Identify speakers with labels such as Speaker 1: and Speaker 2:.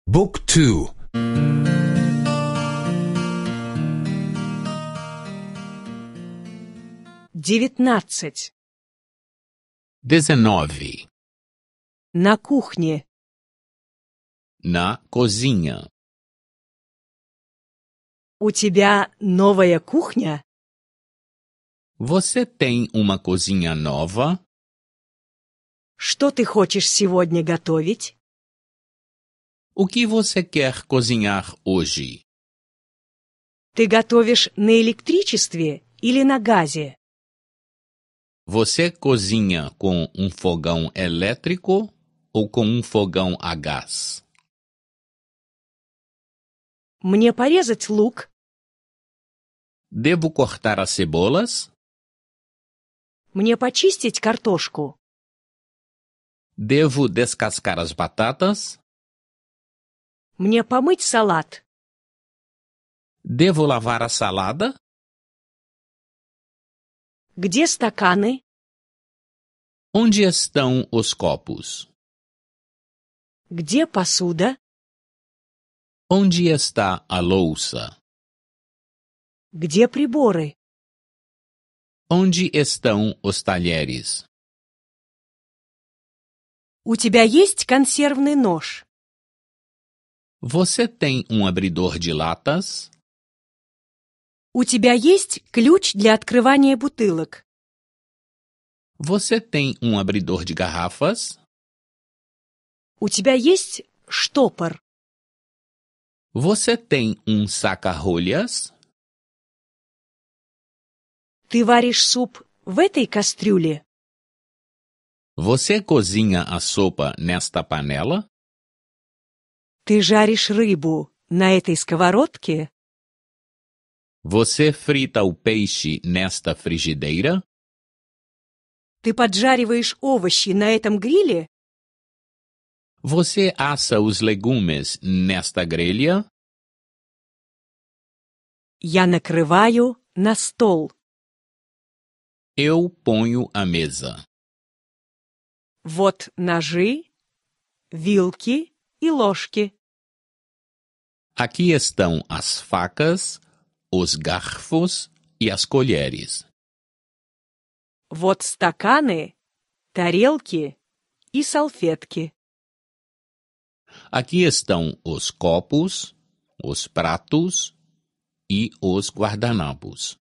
Speaker 1: Book 2.
Speaker 2: 19.
Speaker 3: 19.
Speaker 2: На кухне.
Speaker 3: Na cozinha.
Speaker 2: У тебя новая кухня?
Speaker 3: Você tem uma cozinha nova?
Speaker 2: Что ты хочешь сегодня готовить?
Speaker 3: O que você quer cozinhar hoje?
Speaker 2: Ты готовишь на электричестве или на газе?
Speaker 3: Você cozinha com um fogão elétrico ou com um fogão a gás?
Speaker 2: Мне порезать лук?
Speaker 3: Devo cortar as cebolas?
Speaker 2: Мне почистить картошку?
Speaker 3: Devo descascar as batatas?
Speaker 2: Мне помыть салат?
Speaker 3: Devo lavar a salada?
Speaker 2: Где стаканы?
Speaker 3: Onde estão os copos?
Speaker 2: Где посуда?
Speaker 3: Onde está a louça?
Speaker 2: Где приборы?
Speaker 3: Onde estão os talheres?
Speaker 2: У тебя есть консервный нож?
Speaker 3: Você tem um abridor de latas?
Speaker 2: У тебя есть ключ для открывания бутылок?
Speaker 3: Você tem um abridor de garrafas?
Speaker 2: У тебя есть штопор?
Speaker 3: Você tem um saca-rolhas?
Speaker 2: Ты варишь суп в этой кастрюле?
Speaker 3: Você cozinha a sopa nesta panela?
Speaker 2: Ты жаришь рыбу на этой сковородке?
Speaker 3: Você frita o peixe nesta frigideira?
Speaker 2: Ты поджариваешь овощи на этом гриле?
Speaker 3: Você assa os legumes nesta grelha?
Speaker 2: Я накрываю на стол.
Speaker 3: Eu ponho a mesa.
Speaker 2: Вот ножи, вилки и ложки.
Speaker 3: Aqui estão as facas, os garfos e as colheres.
Speaker 2: Вот стаканы, тарелки и салфетки.
Speaker 3: Aqui estão os copos, os pratos e os guardanapos.